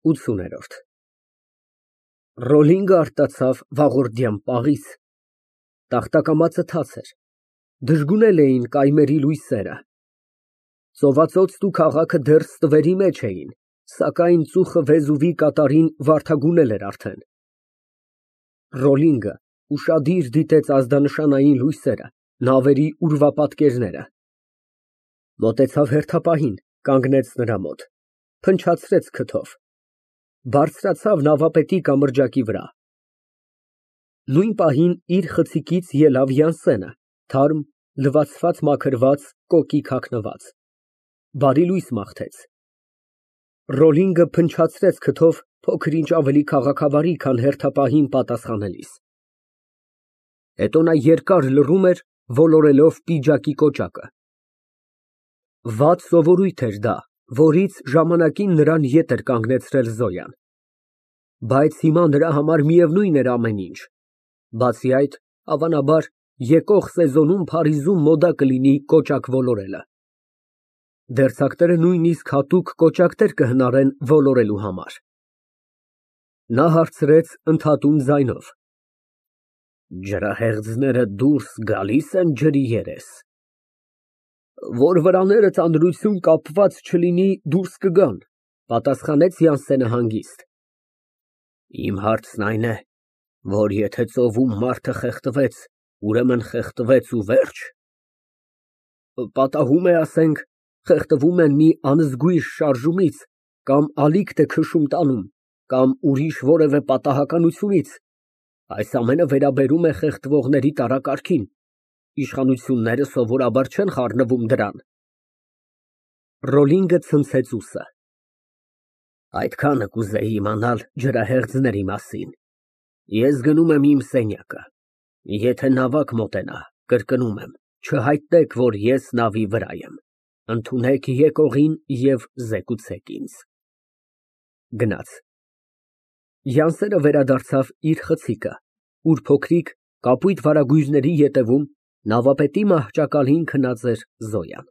80։ Ռոլինգը արտացավ վաղորդյան պաղից, տախտակամածը թաց էր, դժգունել էին կայմերի լույսերը, ծովածոցն ու քաղաքը դեռ ստվերի մեջ էին, սակայն ծուխը Վեզուվի կատարին վարդագունել էր արդեն։ Ռոլինգը ուշադիր դիտեց ազդանշանային լույսերը, նավերի ուրվապատկերները, մոտեցավ հերթապահին, կանգնեց նրա մոտ, փնչացրեց քթով, բարձրացավ նավապետի կամրջակի վրա։ Նույն պահին իր խցիկից ելավ Յանսենը, թարմ, լվացված մաքրված, կոկիկ հագնված, բարի լույս մաղթեց։ Ռոլինգը փնչացրեց քթով փոքր ինչ ավելի քաղաքավարի, քան հերթապահին պատասխանելիս։ Հետո նա երկար լռում էր, ոլորելով պիջակի կոճակը։ Վատ սովորույթ էր դա, որից ժամանակին նրան ետ էր կանգնեցրել Զոյան, բայց հիմա նրա համար միևնույն էր ամեն ինչ, բացի այդ, հավանաբար, եկող սեզոնում Փարիզում մոդա կլինի կոճակ ոլորելը։ Դերձակները նույնիսկ հատուկ կոճակներ կհնարեն ոլորելու համար։ Նա հարցրեց ընդհատում ձայնով. Ջրահեղձները դուրս գալի՞ս են ջրի երես։ Որ վրաները ծանրություն կապված չլինի, դուրս կգան, պատասխանեց Յանսենը հանգիստ։ Իմ հարցն այն է, որ եթե ծովում մարդը խեղդվեց, ուրեմն խեղդվեց ու վերջ։ Պատահում է, ասենք, խեղդվում են մի անզգույշ շարժումից, կամ ալիքտ է քշում տանում, կամ ուրիշ որևէ պատահականությունից, այս ամենը վերաբերում է խեղդվողների տարակարգին, իշխանությունները սովորաբար չեն խառնվում դրան։ Ռոլինգը ցնցեց ուսը։ Այդքանը կուզեի իմանալ ջրահեղձների մասին։ Ես գնում եմ իմ սենյակը։ Եթե նավակ մոտենա, կրկնում եմ, չհայտնեք, որ ես նավի վրա եմ։ Ընդունեք եկողին և զեկուցեք ինձ։ Գնաց։ Յանսենը վերադարձավ իր խցիկը, ուր փոքրիկ, կապույտ վարագույրների ետևում նավապետի մահճակալին քնած էր Զոյան։